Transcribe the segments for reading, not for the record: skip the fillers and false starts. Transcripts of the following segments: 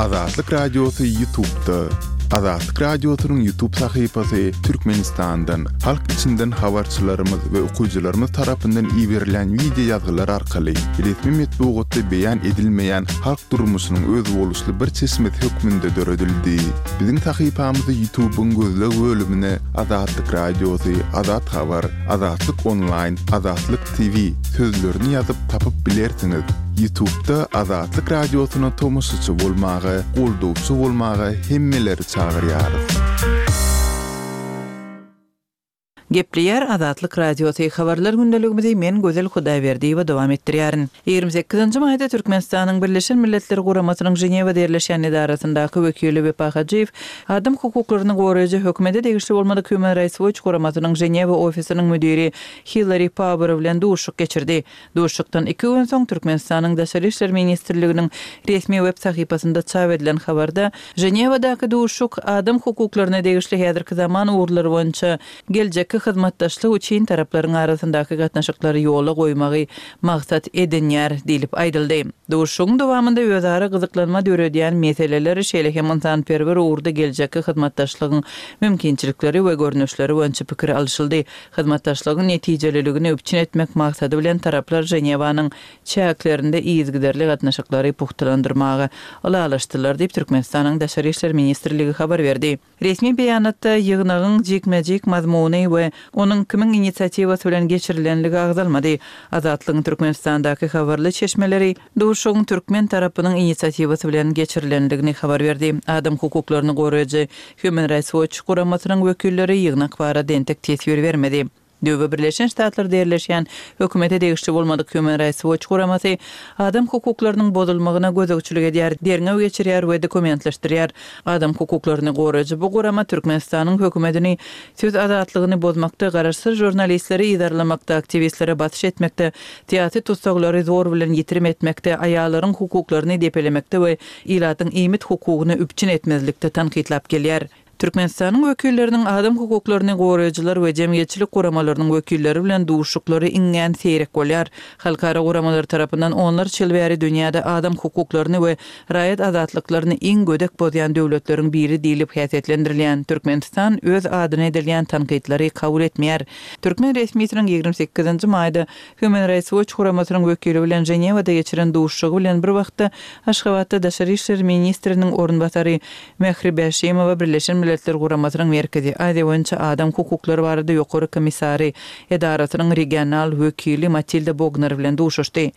Azatlyk Radiosy Ýutubda. Azatlyk Radiosynyň Ýutub sahypasy Türkmenistandan, halk içinden habarçylarymyz we okyjylarymyz tarapyndan iberilen wideo ýazgylar arkaly resmi metbugatda beýan edilmeýän halk durmuşynyň özboluşly bir çeşmesi hökmünde döredildi. Biziň sahypamyzy Ýutubyň gözleg bölümine Azatlyk Radiosy, Azat Habar, Azatlyk Onlaýn, Azatlyk TV sözlerini ýazyp tapyp bilersiňiz. Ýutubda Azatlyk Radiosyna tomaşaçy bolmaga, goldawçy bolmaga hemmeleri çagyrýarys. Gepleýär Azatlyk Radiosy, Habarlar gündeligimizi men Gözel Hudaýberdiýewa dowam etdirýärin. 28-nji maýda Türkmenistanyň Birleşen Milletler Guramasynyň Ženewada ýerleşýän edarasyndaky wekili Wepa Hajyýew adam hukuklaryny goraýjy hökümete degişli bolmadyk Human Rights Watch guramasynyň Ženewa ofisiniň müdiri Hillari Pauer bilen duşuşyk geçirdi. Duşuşykdan iki gün soň Türkmenistanyň Daşary işler ministrliginiň resmi web sahypasynda çap edilen habarda, Ženewadaky duşuşyk adam hukuklaryna degişli häzirki zaman ugurlary boýunça geljekki hyzmatdaşlyk üçin taraplaryň arasyndaky gatnaşyklary ýola goýmagy maksat edinýär diýlip aýdyldy. Duşuşygyň dowamynda özara gyzyklanma döredýän meseleler, şeýle hem ynsanperwer ugurda geljekki hyzmatdaşlygyň mümkinçilikleri we görnüşleri boýunça pikir alyşyldy. Hyzmatdaşlygyň netijeliligini üpjün etmek maksady bilen taraplar Ženewanyň çäklerinde yzygiderli gatnaşyklary pugtalandyrmaga ylalaşdylar diýip, Türkmenistanyň Daşary işler ministrligi habar berdi. Resmi beýanatda ýygnagyň jikme-jik mazmuny we onuň kimiň inisiatiwasy bilen geçirilenligi agzalmady. Azatlygyň Türkmenistandaky habarly çeşmeleri duşuşygyň türkmen tarapynyň inisiatiwasy bilen geçirilendigini habar berdi. Adam hukuklaryny goraýjy Human Rights Watch guramasynyň wekilleri ýygnak barada entek teswir bermedi. Döwbe Birleşen Ştatlarda ýerleşýän hökümete degişli bolmadyk Human Rights Watch guramasy adam hukuklarynyň bozulmagyna gözegçilik edýär, derňew geçirýär we dokumentleşdirýär. Adam hukuklaryny goraýjy bu gurama Türkmenistanyň hökümetini söz azatlygyny bozmakda, garaşsyz žurnalistleri yzarlamakda, aktiwistlere basyş etmekde, syýasy tussaglary zor bilen ýitirim etmekde, aýallaryň hukuklaryny depelemekde we ilatyň iýmit hukugyny üpjün etmezlikde tankytlap gelýär. Türkmenistanyň wekilleriniň adam hukuklaryny goraýjylar we jemgyýetçilik guramalarynyň wekilleri bilen duşuşyklary iňňän seýrek bolýar. Halkara guramalar tarapyndan onlarça ýyl bäri dünýäde adam hukuklaryny we raýat azatlyklaryny iň gödek bozýan döwletleriň biri diýlip häsiýetlendirilýän Türkmenistan öz adyna edilýän tankytlary kabul etmeýär. Türkmen resmisiniň 28-nji maýda Human Rights Watch guramasynyň wekili bilen Ženewada geçiren duşuşygy bilen bir wagtda, Aşgabatda daşary işler ministriniň orunbasary Mähri Bäşimowa Birleşen Milletler Guramasynyň Merkezi Aziýa boýunça adam hukuklary barada ýokary komissary edarasynyň regional wekili Matilda Bogner bilen duşuşdy.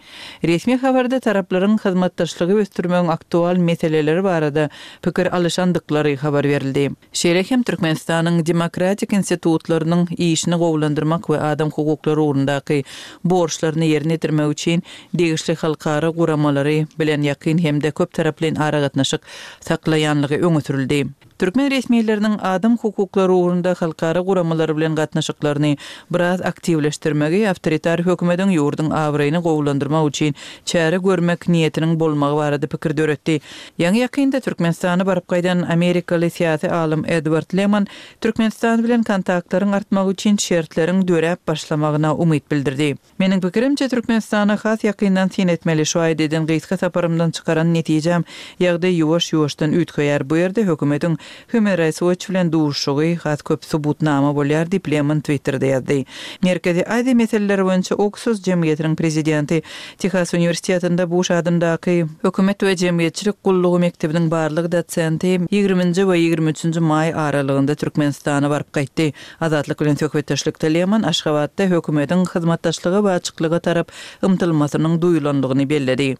Resmi habarda taraplaryň hyzmatdaşlygy ösdürmegiň aktual meseleleri barada pikir alyşandyklary habar berildi. Şeýle hem Türkmenistanyň demokratik institutlarynyň işini gowulandyrmak we adam hukuklary ugrundaky borçlaryny ýerine ýetirmek üçin degişli halkara guramalary bilen ýakyn hem-de köptaraplaýyn aragatnaşyk saklaýanlygy öňe sürüldi. Türkmen resmileriniň adam hukuklary ugrunda halkara guramalary bilen gatnaşyklaryny biraz aktiwleşdirmegi awtoritar hökümediň ýurduň abraýyny gowulandyrmak üçin çäre görmek niýetiniň bolmagy barada pikir döretdi. Ýaňy-ýakynda Türkmenistana baryp gaýdan amerikaly syýasy alym Edward Leman Türkmenistan bilen kontaktlaryň artmagy üçin şertleriň döräp başlamagyna umyt bildirdi. Meniň pikirimçe, Türkmenistana has ýakyndan syn etmeli. Şu aýda eden gysga saparymdan çykaran netijäm, ýagdaý ýuwaş-ýuwaşdan üýtgeýär. Bu ýerde hökümetiň Human Rights Watch bilen duşuşygy has köp subutnama bolýar diýip, Leman Twitterde ýazdy. Merkezi Aziýa meseleleri boýunça Oksus jemgyýetiniň prezidenti, Tehas uniwersitetinde Buş adyndaky Hökümet we jemgyýetçilik gullugy mekdebiniň barlag dosenti ýigriminji we 23 nji maý aralygynda Türkmenistana baryp gaýtdy. Azatlyk bilen söhbetdeşlikde Leman Aşgabatda hökümetiň hyzmatdaşlyga we açyklyga tarap ymtylmasynyň duýulandygyny belledi.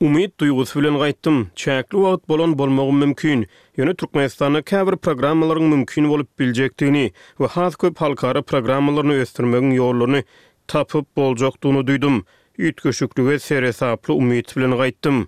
Umyt duýgusy bilen gaýtdym. Çäkli wagt bolan bolmagym mümkin. Ýöne Türkmenistanda käbir programmalaryň mümkin bolup biljekdigini we has köp halkara programmalaryny ösdürmegiň ýollaryny tapyp boljakdygyny duýdum. Üýtgeşiklige seresaply umyt bilen gaýtdym.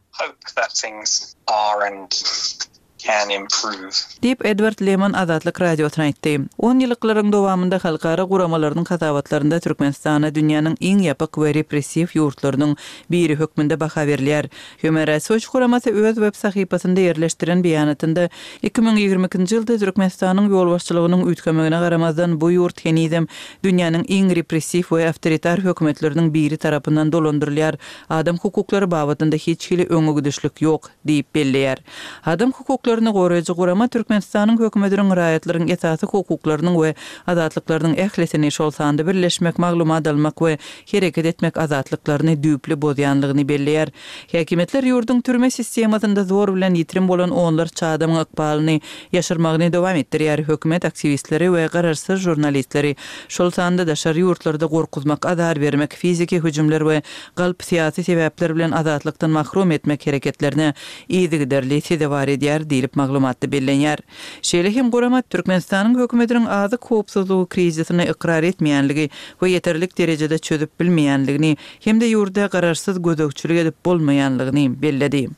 Can improve. Diýip, Edward Lemon Azatlyk Radiosyna aýtdy. Onýyllyklaryň dowamynda halkara guramalarynyň hasabatlarynda Türkmenistana dünýäniň iň ýapyk we repressiw ýurtlarynyň biri hökmünde baha berilýär. Human Rights Watch guramasy öz web sahypasynda ýerleşdiren beýanatynda 2022-nji ýylda Türkmenistanyň ýolbaşçylygynyň üýtgemegine garamazdan bu ýurt henizem dünýäniň iň repressiw we awtoritar hökümetleriniň biri tarapyndan dolandyrylýar, adam hukuklary babatynda hiç hili öňe gidişlik ýok. Diýip belleýär. Adam hukuklaryny goraýjy gurama Türkmenistanyň hökümetiniň raýatlaryň esasy hukuklarynyň we azatlyklarynyň ählisini, şol sanda birleşmek, maglumat almak we hereket etmek azatlyklaryny düýpli bozýanlygyny belleýär. Häkimiýetler ýurduň türme sistemasynda zor bilen ýitirim bolan onlarça adamyň ykbalyny ýaşyrmagyny dowam etdirýär, hökümet aktiwistleri we garaşsyz žurnalistleri, şol sanda daşary ýurtlarda gorkuzmak, azar bermek, fiziki hüjümler we galp syýasy sebäpler bilen azatlykdan mahrum etmek hereketlerine yzygiderli sezewar edýär diýlip maglumatda bellenýär. Şeýle hem gurama Türkmenistanyň hökümetiniň azyk howpsuzlygy krizisini ykrar etmeýänligi we ýeterlik derejede çözüp bilmeýänligini hem-de ýurda garaşsyz gözegçilik edip bolmaýanlygyny belledi.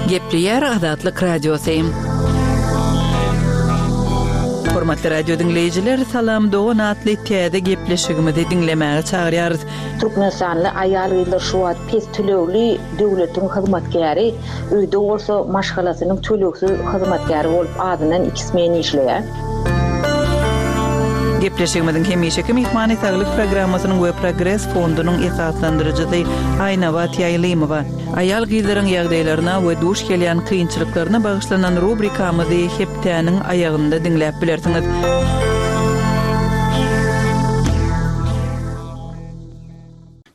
Gepleýär Azatlyk Radiosy. Hormatly radio diňleýjiler, Salam dogan atly täze gepleşigimizi diňlemäge çagyrýarys. Türkmenistanly aýal-gyzlar şu wagt pes tölegli döwletiň hyzmatkäri, öýde bolsa maşgalasynyň tölegsiz hyzmatkäri bolup azyndan iki smen işleýär. Gepleşigimiziň hemişeki myhmany Saglyk programmasynyň we Progres fondunyň esaslandyryjysy Aýnabat Ýaýlymowa. Aýal-gyzlaryň ýagdaýlaryna we duş gelýän kynçylyklaryna bagyşlanan rubrikamyzy hepdäniň aýagynda diňläp bilersiňiz.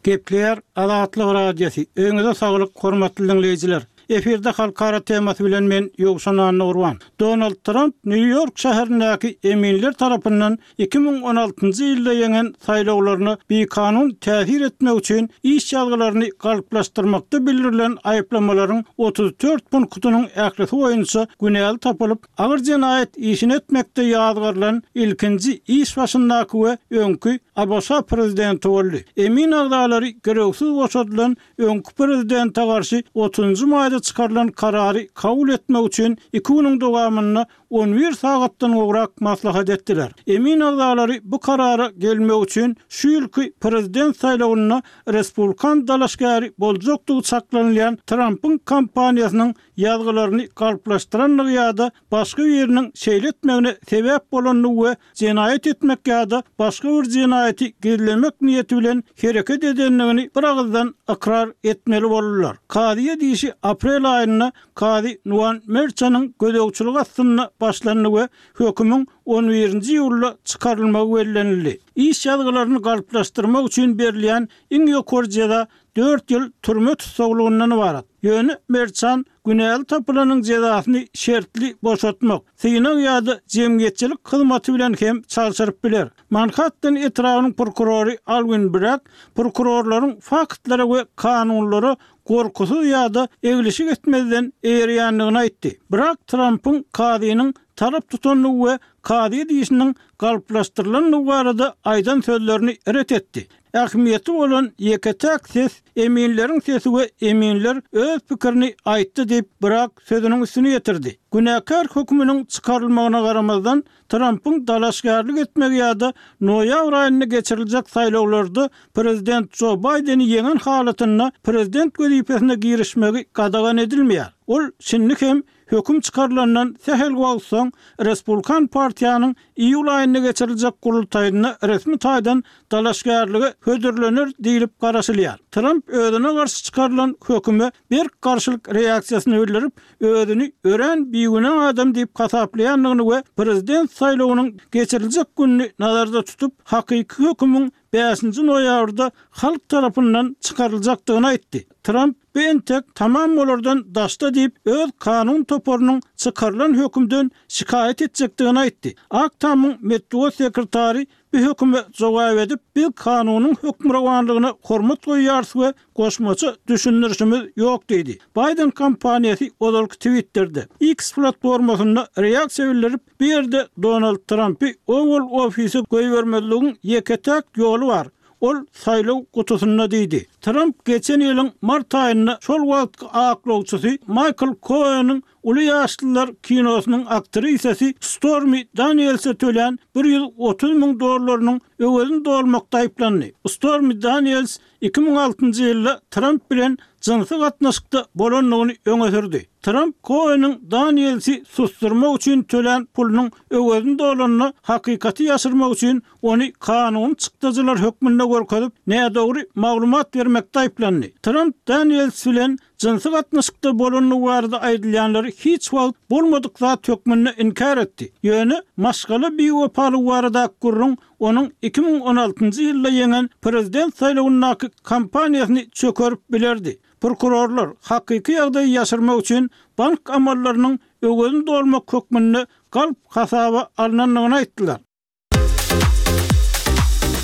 Gepleýär Azatlyk Radiosy, Öýüňize saglyk, hormatly diňleýjiler! Efirde halkara temasy bilen men Ýowşan Annagurban. Donald Tramp Nýu-Ýork şäherindäki eminler tarapyndan 2016-njy ýylda ýeňen saýlawlaryna bikanun täsir etmek üçin iş ýazgylaryny galplaşdyrmakda bildirilen aýyplamalaryň 34 punktynyň ählisi boýunça günäli tapylyp, agyr jenaýat işini etmekde ýazgarylan ilkinji iş başyndaky we öňki ABŞ prezidenti boldy. Emin agzalary girewsiz boşadylan öňki prezidente garşy otuzynjy maýda çykarylan karary kabul etmek üçin iki günüň dowamynda on bir sagatdan gowrak maslahat etdiler. Emin agzalary bu karara gelmek üçin şu ýylky prezident saýlawynda respublikan dalaşgäri boljakdygy çaklanylýan Trampyň kampaniýasynyň ýazgylaryny galplaşdyrandygy ýa-da başga biriniň şeýle etmegine sebäp bolandygy we jenaýat etmek ýa-da başga bir jenaýaty gizlemek niýeti bilen hereket edendigini biragyzdan ykrar etmeli boldular. Kazyýet işi aprel aýynda kazy Nuan Merçanyň gözegçiligi astynda başlandy we hökümiň on birinji iýulda çykarylmagy bellenildi. Iş ýazgylaryny galplaşdyrmak üçin berilýän iň ýokary jeza dört ýyl türme tussaglygyndan ybarat. Ýöne Merçan günäli tapylanyň jezasyny şertli boşatmak, synag ýa-da jemgyýetçilik hyzmaty bilen hem çalşyryp biler. Manhattan etrabynyň prokurory Alwin Bragg prokurorlaryň faktlara we kanunlara gorkusyz ýa-da eglişik etmezden eýerýändigini aýtdy. Bragg Trampyň kazynyň tarap tutandygy we kazyýet işiniň galplaşdyrylandygy barada aýdan sözlerini ret etdi. Ähmiýeti bolan ýeke-täk ses eminleriň sesi we eminler öz pikirini aýtdy diýip, Bragg sözüniň üstüni ýetirdi. Günäkär höküminiň çykarylmagyna garamazdan, Trampyň dalaşgärlik etmegi ýa-da noýabr aýynda geçiriljek saýlawlarda prezident Jo Baýdeni ýeňen halatynda prezident wezipesine girişmegi gadagan edilmeýär. Ol şindi hem Höküm çykarylandan sähel wagt soň, Respublikan partiýanyň iýul aýynda geçiriljek gurultaýynda resmi taýdan dalaşgärlige hödürlener diýlip garaşylýar. Tramp özüne garşy çykarylan höküme berk garşylyk reaksiýasyny bildirip, özüni örän bigünä adam diýip hasaplaýandygyny we prezident saýlawynyň geçiriljek gününi nazarda tutup, hakyky hökümiň bäşinji noýabrda halk tarapyndan çykaryljakdygyny aýtdy. Tramp bu entek tamam bolardan daşda diýip, öz kanun toparynyň çykarylan hökümden şikaýat etjekdigini aýtdy. Ak Tamyň metbugat sekretary bu höküme jogap edip, biz kanunyň hökmürowanlygyna hormat goýýarys we goşmaça düşündirişimiz ýok diýdi. Baýden kampaniýasy ozalky Twitterde, X platformasynda reaksiýa bildirip, Bu ýerde Donald Trampy Owal ofise goýbermezligiň ýeke-täk ýoly bar. Ol saýlaw gutusynda diýdi. Tramp geçen ýylyň mart aýynda şol wagtky aklawçysy Maýkl Koeniň uly ýaşlylar kinosynyň aktrisasy Stormi Danielse tölän 130 müň dollarynyň öwezini dolmakda aýyplandy. Stormi Daniels 2006-njy ýylda Tramp bilen jynsy gatnaşykda bolandygyny öňe sürdi. Tramp Koeniň Danielsi susdurmak üçin tölän pulunyň öwezini dolanda hakykaty ýaşyrmak üçin ony kanuny çykdajylar hökmünde görkezip, nädogry maglumat bermekde aýyplandy. Tramp Daniels bilen jynsy gatnaşykda bolandygy barada aýdylýanlary hiç wagt bolmadyk zat hökmünde inkär etdi. Ýöne maşgala biwepalygy baradaky gürrüň onuň 2016-njy ýylda ýeňen prezident saýlawyndaky kampaniýasyny çökerip bilerdi. Prokurorlar hakyky ýagdaýy ýaşyrmak üçin bank amallarynyň öwezini dolmak hökmünde galp hasaba alnandygyny aýtdylar.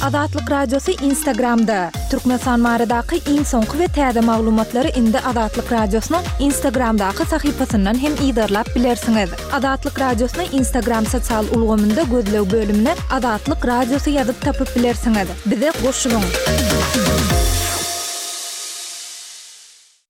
Azatlyk Radiosy Instagramda, Türkmenistan baradaky iň soňky we täze maglumatlary indi Azatlyk Radiosynyň Instagramdaky sahypasyndan hem yzarlap bilersiňiz. Azatlyk Radiosyny Instagram sosial ulgamynda gözleg bölümine Azatlyk Radiosy ýazyp tapyp bilersiňiz. Bize goşulyň!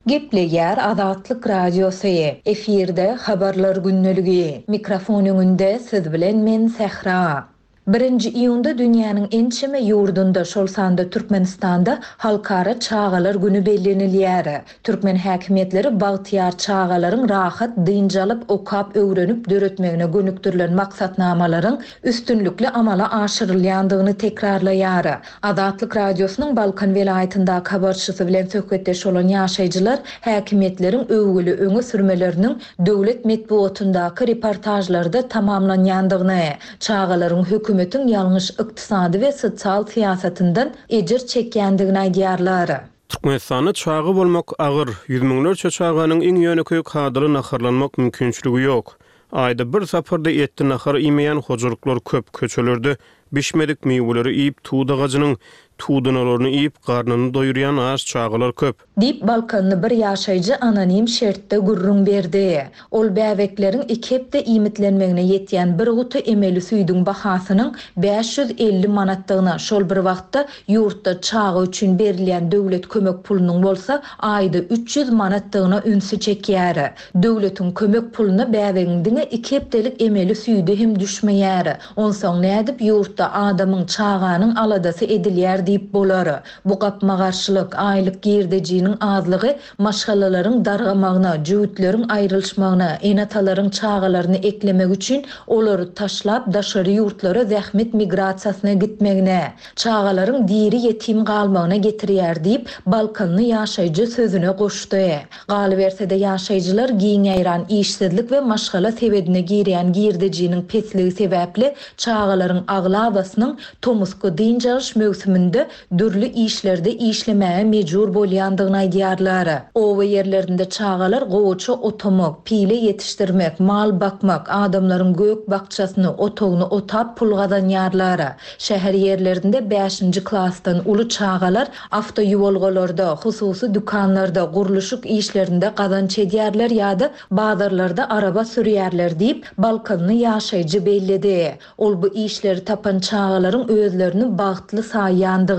Gepleýär Azatlyk Radiosy, efirde Habarlar gündeligi. Mikrofon öňünde siz bilen men Sähra. Birinji iýunda dünýäniň ençeme ýurdunda, şol sanda Türkmenistanda Halkara çagalar güni bellenilýär. Türkmen häkimiýetleri bagtyýar çagalaryň rahat dynç alyp, okap, öwrenip, döretmegine gönükdirilen maksatnamalaryň üstünlikli amala aşyrylýandygyny tekrarlaýar. Azatlyk Radiosynyň Balkan welaýatyndaky habarçysy bilen söhbetdeş bolan ýaşaýjylar häkimiýetleriň öwgüli öňe sürmeleriniň döwlet metbugatyndaky reportažlarda tamamlanýandygyny, çagalaryň hökümetiň ýalňyş ykdysady we sosial syýasatyndan ejir çekýändigini aýdýarlar. Türkmenistanda çaga bolmak agyr, ýüz müňlerçe çaganyň iň ýönekeý kadaly naharlanmak mümkinçiligi ýok. Aýda bir sapar-da etli nahar iýmeýän hojalyklar köp, köçelerde bişmedik miweleri iýip, tut agajynyň tudanalaryny iýip, garnyny doýurýan aç çagalar köp. Diýip, balkanly bir ýaşaýjy anonim şertde gürrüň berdi. Ol bäbekleriň iki hepde iýmitlenmegine ýetýän bir guty emeli süýdüň bahasynyň 550 manatdygyna, şol bir wagtda ýurtda çaga üçin berilýän döwlet kömek pulunyň bolsa aýda 300 manatdygyna ünsi çekýär. Döwletiň kömek puluna bäbegiň diňe iki hepdelik emeli süýdi hem düşmeýär. Onsoň nädip ýurtda adamyň, çaganyň aladasy edilýär diýip bolar? Bu gapma-garşylyk, aýlyk girdejiniň azlygy maşgalalaryň dargamagyna, jübütleriň aýrylyşmagyna, ene-atalaryň çagalaryny eklemek üçin olary taşlap daşary ýurtlara zähmet migrasiýasyna gitmegine, çagalaryň diri ýetim galmagyna getirýär diýip, balkanly ýaşaýjy sözüne goşdy. Galyberse-de, ýaşaýjylar giň ýaýran işsizlik we maşgala sebedine girýän girdejiniň pesligi sebäpli çagalaryň aglabasynyň tomusky dynç alyş möwsüminde dürli işlerde işlemäge mejbur bolýandygyny aýdýarlar. Oba ýerlerinde çagalar gowaça otamak, pile ýetişdirmek, mal bakmak, adamlaryň gök-bakjasyny, otagyny otap pul gazanýarlar. Şäher ýerlerinde bäşinji klasdan uly çagalar awtoýuwalgalarda, hususy dükanlarda, gurluşyk işlerinde gazanç edýärler ýa-da bazarlarda araba sürýärler diýip, balkanly ýaşaýjy belledi. Ol bu işleri tapan çagalaryň özlerini bagtly saýýandygyny,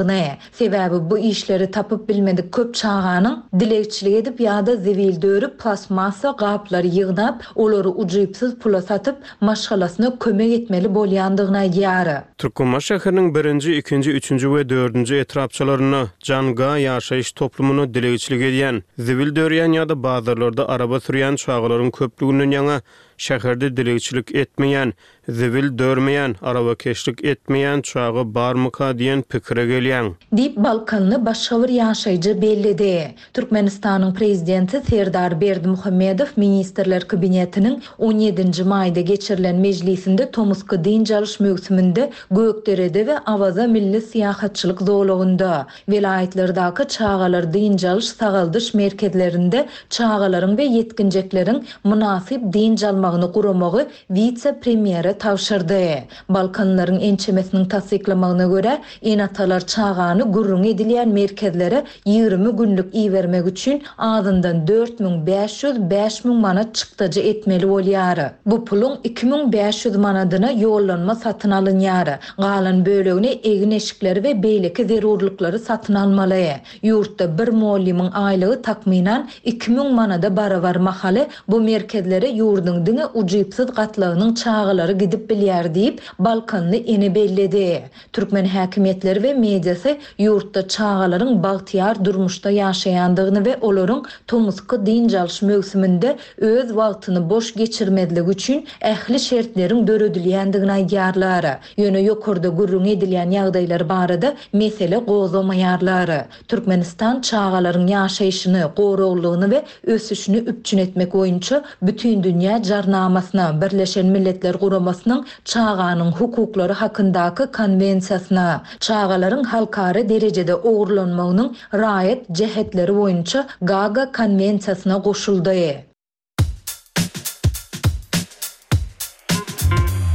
sebäbi bu işleri tapyp bilmedik köp çaganyň dilegçilik edip ýa-da zibil dörüp plastmassa gaplary ýygnap, olary ujypsyz pula satyp, maşgalasyna kömek etmeli bolýandygyny aýdýar. Türkmenbaşy şäheriniň birinji, ikinji, üçünji we dördünji etrapçalarynda Janga ýaşaýyş toplumynda dilegçilik edýän, zibil dörýän ýa-da bazarlarda araba sürýän çagalaryň köplüginden ýaňa şäherde dilegçilik etmeýän, zibil dörmeýän, arabakeşlik etmeýän çaga barmyka diýen pikire gelýäň. Diýip, balkanly başga bir ýaşaýjy belledi. Türkmenistanyň Prezidenti Serdar Berdimuhamedow Ministrler Kabinetiniň on ýedinji maýda geçirilen mejlisinde tomusky dynç alyş möwsüminde Gökderede we Awaza milli syýahatçylyk zolagynda, welaýatlardaky çagalar dynç alyş-sagaldyş merkezlerinde çagalaryň we ýetginjekleriň mynasyp dynç almagyny guramagy wise-premýere. tabşyrdy. Balkanlylaryň ençemesiniň tassyklamagyna görä, ene-atalar çagany gürrüňi edilýän merkezlere 20 günlük ibermek üçin azyndan 4500, 5000 manat çykdajy etmeli bolýar. Bu puluň 2500 manadyna ýollanma satyn alynýar. Galan bölegine egin-eşikleri we beýleki zerurlyklary satyn almaly. Ýurtda bir mugallymyň aýlygy takmynan 2000 manada barabar mahaly, bu merkezlere ýurduň diňe ujypsyz gatlagynyň çagalary gidip bilýär diýip, balkanly ene belledi. Türkmen häkimiýetleri we mediasy ýurtda çagalaryň bagtyýar durmuşda ýaşaýandygyny we olaryň tomusky dynç alyş möwsüminde öz wagtyny boş geçirmezligi üçin ähli şertleriň döredilýändigini aýdýarlar. Ýöne ýokarda gürrüňi edilýän ýagdaýlar barada mesele gozgamaýarlar. Türkmenistan çagalaryň ýaşaýşyny, goraglylygyny we ösüşini üpjün etmek boýunça Bütindünýä Jarnamasyna, Birleşen Milletler Guramasynyň Çaganyň hukuklary hakyndaky Konwensiýasyna, Çagalaryň halkara derejede ogurlanmagynyň raýat jähetleri boýunça Gaaga Konwensiýasyna goşuldy.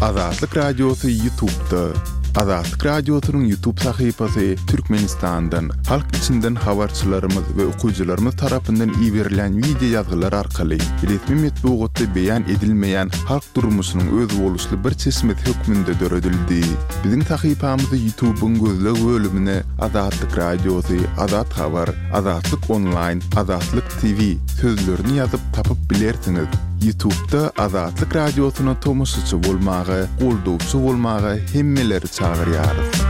Azatlyk Radiosy Ýutubda. Azatlyk Radiosynyň Ýutub sahypasy Türkmenistandan, halk içinden habarçylarymyz we okyjylarymyz tarapyndan iberilen wideo ýazgylar arkaly resmi metbugatda beýan edilmeýän halk durmuşynyň özboluşly bir çeşmesi hökmünde döredildi. Biziň sahypamyzy Ýutubyň gözleg bölümine Azatlyk Radiosy, Azat Habar, Azatlyk Onlaýn, Azatlyk TV sözlerini ýazyp tapyp bilersiňiz. Ýutubda Azatlyk Radiosyna tomaşaçy bolmaga, goldawçy bolmaga hemmeleri çagyrýarys.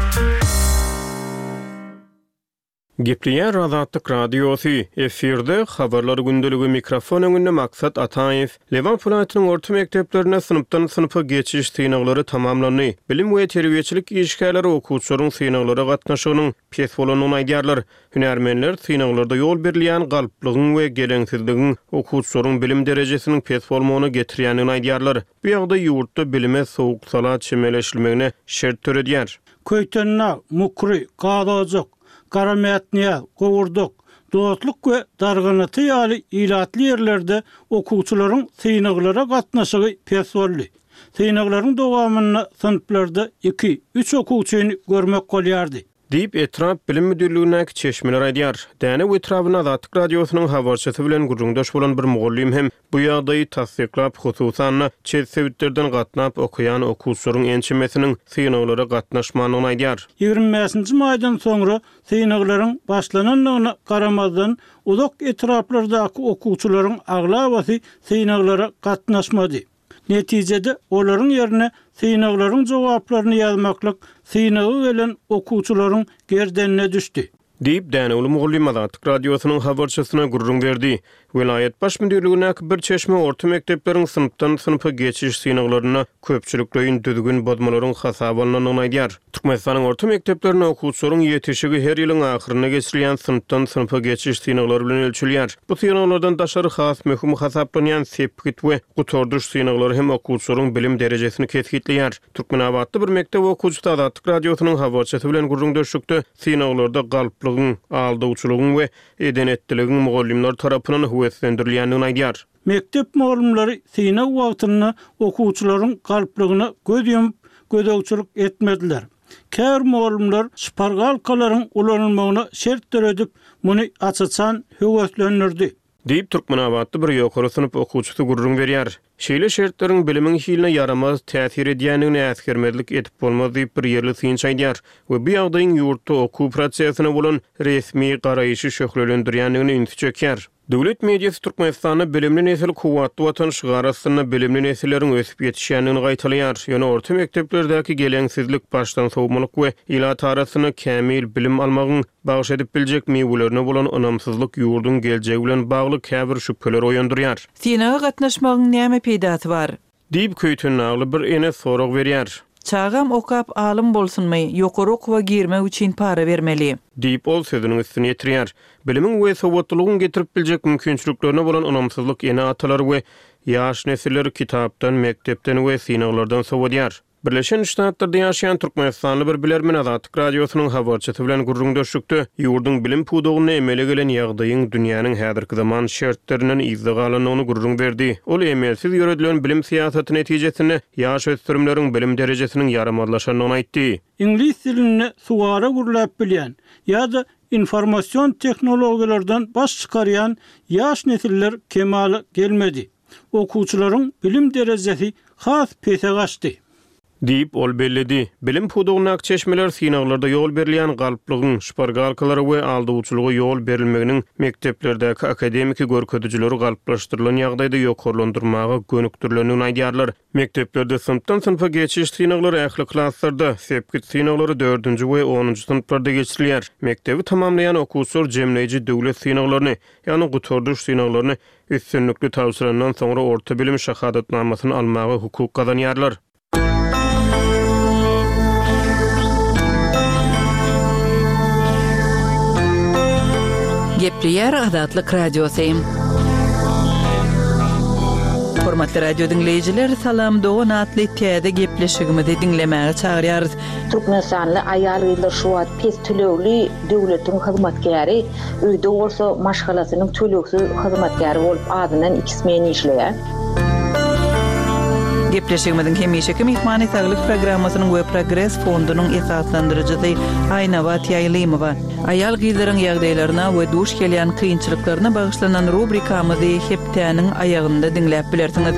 Gepleýär Azatlyk Radiosy, efirde, Habarlar gündeligi, mikrofon öňünde Maksat Ataýew. Lebap welaýatynyň orta mekdeplerinde synpdan synpa geçiş synaglary tamamlandy. Bilim we terbiýeçilik işgärleri okuwçylaryň synaglara gatnaşygynyň pes bolandygyny aýdýarlar. Hünärmenler synaglarda ýol berilýän galplygyň we geleňsizligiň okuwçylaryň bilim derejesiniň pes bolmagyna getirýändigini aýdýarlar. Bu ýagdaý ýurtda bilime sowuk-sala çemeleşilmegine şert döredýär. Köýtendag, Mukry, Gazojak, Garamätnyýaz, Gowurdak, Dostluk we Darganata ýaly ilatly ýerlerde okuwçylaryň synaglara gatnaşygy pes boldy. Synaglaryň dowamynda synplarda iki, üç okuwçyny görmek bolýardy. Diýip, etrap bilim müdirligindäki çeşmeler aýdýar. Dänew etrabynda Azatlyk Radiosynyň habarçysy bilen gürrüňdeş bolan bir mugallym hem bu ýagdaýy tassyklap, hususan-da, çet sebitlerden gatnap okaýan okuwçylaryň ençemesiniň synaglara gatnaşmandygyny aýdýar. 25-nji maýdan soňra synaglaryň başlanandygyna garamazdan, uzak etraplardaky okuwçylaryň aglabasy synaglara gatnaşmady. Netijede, olaryň ýerine synaglaryň jogaplaryny ýazmaklyk synaga gelen okuwçylaryň gerdenine düşdi. Diýip, dänewli mugallym Azatlyk Radiosynyň habarçysyna gürrüň berdi. Welaýat baş müdirligindäki bir çeşme orta mekdepleriň synpdan synpa geçiş synaglarynda köpçülikleýin düzgün bozmalaryň hasaba alnandygyny aýdýar. Türkmenistanyň orta mekdeplerinde okuwçylaryň ýetişigi her ýylyň ahyrynda geçirilýän synpdan synpa geçiş synaglary bilen ölçelýär. Bu synaglardan daşary has möhüm hasaplanýan sepgit we gutardyş synaglary hem okuwçylaryň bilim derejesini kesgitleýär. Türkmenabatly bir mekdep okuwçysy Azatlyk Radiosynyň habarçysy bilen gürrüňdeşlikde synaglarda galplygyň, aldawçylygyň we eden-etdiligiň mugallymlar tarapyndan höweslendirilýändigini aýdýar. Mekdep mugallymlary synag wagtynda okuwçylaryň galplygyna göz ýumup, gözegçilik etmediler. Käbir mugallymlar şpargalkalaryň ulanylmagyna şert döredip, muny aç-açan höweslendirdi. Diýip, türkmenabatly bir ýokary synp okuwçysy gürrüň berýär. Şeýle şertleriň bilimiň hiline ýaramaz täsir edýändigini äsgermezlik edip bolmaz diýip, bir ýerli synçy aýdýar we bu ýagdaýyň ýurtda okuw prosesine bolan resmi garaýşy şöhlelendirýändigine ünsi çekýär. Döwlet mediasy Türkmenistanda Bilimli nesil, kuwwatly Watan şygary astynda bilimli nesilleriň ösüp ýetişýändigini gaýtalaýar. Ýöne orta mekdeplerdäki geleňsizlik, başdan sowmalyk we ilat arasynda kämil bilim almagyň bagyş edip biljek miwelerine bolan ynamsyzlyk ýurduň geljegi bilen bagly käbir şübheleri oýandyrýar. Synaga gatnaşmagyň näme peýdasy bar? Diýip, köýtendagly bir ene sorag berýär. Çagam okap alym bolsunmy, ýokary okuwa girmek üçin para bermeli. Diýip, ol sözüniň üstüni ýetirýär. Bilimiň we sowatlylygyň getirip biljek mümkinçiliklerine bolan ynamsyzlyk ene-atalary we ýaş nesilleri kitapdan, mekdepden we synaglardan sowadýar. Birleşen Ştatlarda ýaşaýan türkmenistanly bir bilermen Azatlyk Radiosynyň habarçysy bilen gürrüňdeşlikde ýurduň bilim pudagynda emele gelen ýagdaýyň dünýäniň häzirki zaman şertlerinden yzda galandygyny gürrüň berdi. Ol emelsiz ýöredilen bilim syýasaty netijesinde ýaş ösdürimleriň bilim derejesiniň ýaramazlaşandygyny aýtdy. Iňlis dilinde suwara gürläp bilýän ýa-da informasion tehnologiýalardan baş çykarýan ýaş nesiller kemala gelmedi. Okuwçylaryň bilim derejesi has pese gaçdy. Diýip, ol belledi. Bilim pudagyndaky çeşmeler synaglarda ýol berilýän galplygyň, şpargalkalara we aldawçylyga ýol berilmeginiň mekdeplerdäki akademiki görkezijileri galplaşdyrylan ýagdaýda ýokarlandyrmaga gönükdirilendigini aýdýarlar. Mekdeplerde synpdan synpa geçiş synaglary ähli klaslarda, sepgit synaglary dördünji we onunjy synplarda geçirilýär. Mekdebi tamamlaýan okuwçylar jemleýji döwlet synaglaryny, ýagny gutardyş synaglaryny üstünlikli tabşyrandan soňra orta bilim şahadatnamasyny almaga hukuk gazanýarlar. Gepleýär Azatlyk Radiosy. Hormatly radio diňleýjiler, Salam dogan atly täze gepleşigimizi diňlemäge çagyrýarys. Türkmenistanly aýal-gyzlar şu wagt pes tölegli döwletiň hyzmatkäri, öýde bolsa maşgalasynyň tölegsiz hyzmatkäri bolup azyndan iki smen işleýär. Gepleşigimiziň hemişeki myhmany Saglyk programmasynyň we Progres fondunyň esaslandyryjysy Aýnabat Ýaýlymowa. Aýal-gyzlaryň ýagdaýlaryna we duş gelýän kynçylyklaryna bagyşlanan rubrikamyzy hepdäniň aýagynda diňläp bilersiňiz.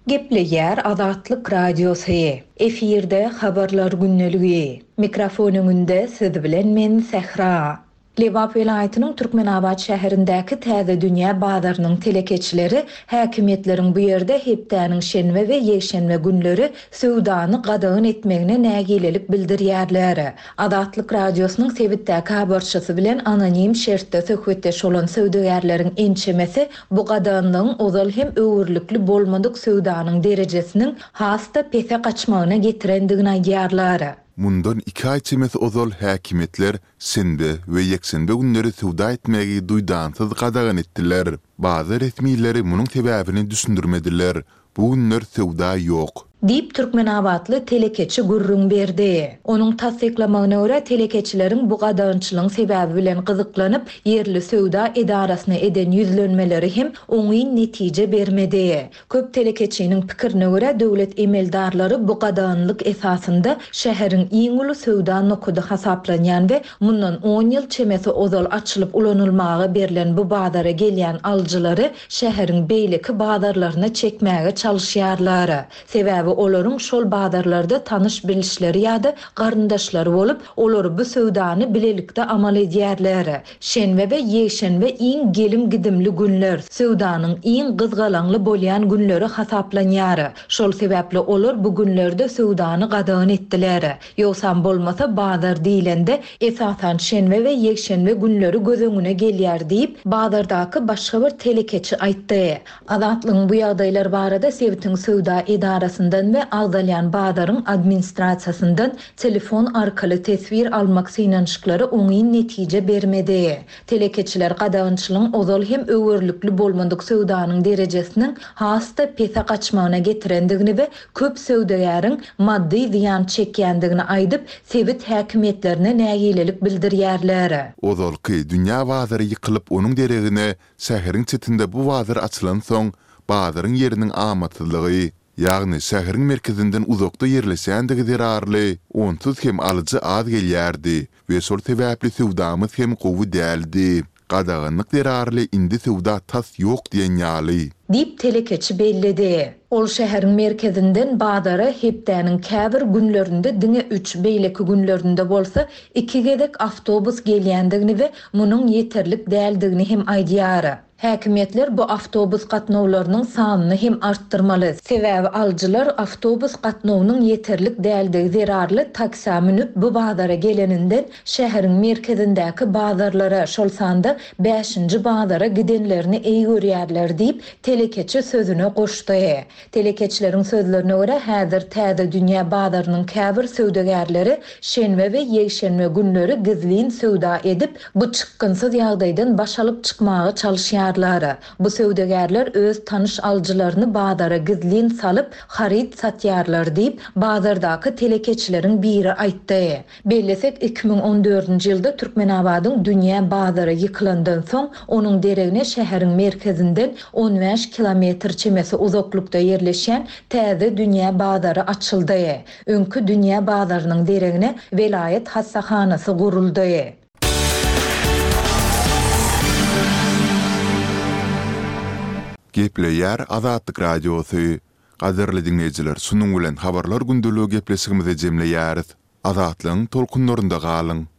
Gepleýär Azatlyk Radiosy. Efirde Habarlar gündeligi. Mikrofon öňünde siz bilen men Sähra. Lebap welaýatynyň Türkmenabat şäherindäki Täze dünýä bazarynyň telekeçileri häkimiýetleriň bu ýerde hepdäniň şenbe we ýekşenbe günleri söwdany gadagan etmegine nägilelik bildirýärler. Azatlyk Radiosynyň sebitdäki habarçysy bilen anonim şertde söhbetdeş bolan söwdagärleriň ençemesi bu gadaganlygyň ozal hem öwürlikli bolmadyk söwdanyň derejesiniň has-da pese gaçmagyna getirendigini aýdýarlar. Mundan iki aý çemesi ozal häkimiýetler şenbe we ýekşenbe günleri söwda etmegi duýdansyz gadagan etdiler. Bazar resmileri munuň sebäbini düşündirmediler. Bu günler söwda ýok. Diýip, türkmenabatly telekeçi gürrüň berdi. Onuň tassyklamagyna görä, telekeçileriň bu gadagançylygyň sebäbi bilen gyzyklanyp, ýerli söwda edarasyna eden ýüzlenmeleri hem oňyn netije bermedi. Köp telekeçiniň pikirine görä, döwlet emeldarlary bu gadaganlyk esasynda şäheriň iň uly söwda nokady hasaplanýan we mundan on ýyl çemesi ozal açylyp ulanylmaga berlen bu bazara gelýän alyjylary şäheriň beýleki bazarlaryna çekmäge çalyşýarlar. Sebäbi olaryň şol bazarlarda tanyş-bilişleri ýa-da garyndaşlary bolup, olar bu söwdany bilelikde amal edýärler. Şenbe we ýekşenbe iň gelim-gidimli günler, söwdanyň iň gyzgalaňly bolýan günleri hasaplanýar. Şol sebäpli olar bu günlerde söwdany gadagan etdiler. Ýogsam bolmasa bazar diýlende, esasan şenbe we ýekşenbe günleri göz öňüne gelýär diýip, bazardaky başga bir telekeçi aýtdy. Azatlygyň bu ýagdaýlar barada sebitiň söwda edarasyndan we agzalýan bazaryň administrasiýasyndan telefon arkaly teswir almak synanyşyklary oňyn netije bermedi. Telekeçiler gadagançylygyň ozal hem öwerlikli bolmadyk söwdanyň derejesiniň has-da pese gaçmagyna getirendigini we köp söwdagäriň maddy zyýan çekýändigini aýdyp, sebit häkimiýetlerine nägilelik bildirýärler. Ozalky dünýä bazary ýykylyp onuň deregine şäheriň çetinde bu bazar açylansoň bazaryň ýeriniň amatsyzlygy, ýagny şäheriň merkezinden uzakda ýerleşýändigi zerarly onsuz hem alyjy az gelýärdi we şol sebäpli söwdamyz hem gowy däldi. Gadaganlyk zerarly indi söwda tas ýok diýen ýaly. Diýip, telekeçi belledi. Ol şäheriň merkezinden bazara hepdäniň käbir günlerinde diňe üç, beýleki günlerinde bolsa iki gezek awtobus gelýändigini we munuň ýeterlik däldigini hem aýdýar. Häkimiýetler bu awtobus gatnawlarynyň sanyny hem artdyrmaly, sebäbi alyjylar awtobus gatnawynyň ýeterlik däldigi zerarly taksä münüp bu bazara geleninden şäheriň merkezindäki bazarlara, şol sanda bäşinji bazara gidenlerini eý görýärler diýip, telekeçi sözüne goşdy. Telekeçileriň sözlerine görä, häzir Täze dünýä bazarynyň käbir söwdagärleri şenbe we ýekşenbe günleri gizlin söwda edip, bu çykgynsyz ýagdaýdan baş alyp çykmaga çalyşýarlar. satýarlar. Bu söwdagärler öz tanyş alyjylaryny bazara gizlin salyp, haryt satýarlar diýip, bazardaky telekeçileriň biri aýtdy. Bellesek, 2014-nji ýylda Türkmenabadyň dünýä bazary ýykylandan soň, onuň deregine şäheriň merkezinden on bäş kilometr çemesi uzaklykda ýerleşýän täze dünýä bazary açyldy. Öňki dünýä bazarynyň deregine welaýat hassahanasy guruldy. Gepleýär Azatlyk Radiosy. Gadyrly diňleýjiler şunuň bilen Habarlar gündeligi gepleşigimizi jemleýäris. Azatlygyň tolkunlarynda galyň!